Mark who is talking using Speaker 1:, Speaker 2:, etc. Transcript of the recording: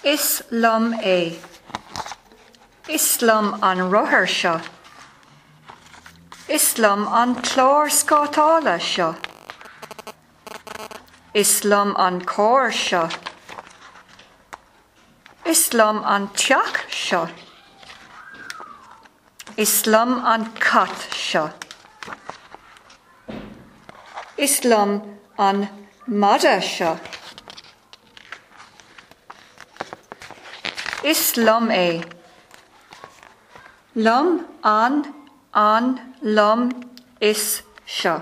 Speaker 1: Is liom é. Is liom an rothar seo. Is liom an clár scátála seo. Is liom an carr seo. Is liom an teach seo. Is liom an cat seo. Is liom an madadh seo. Is liom é. Liom, an, an, liom, is, seo.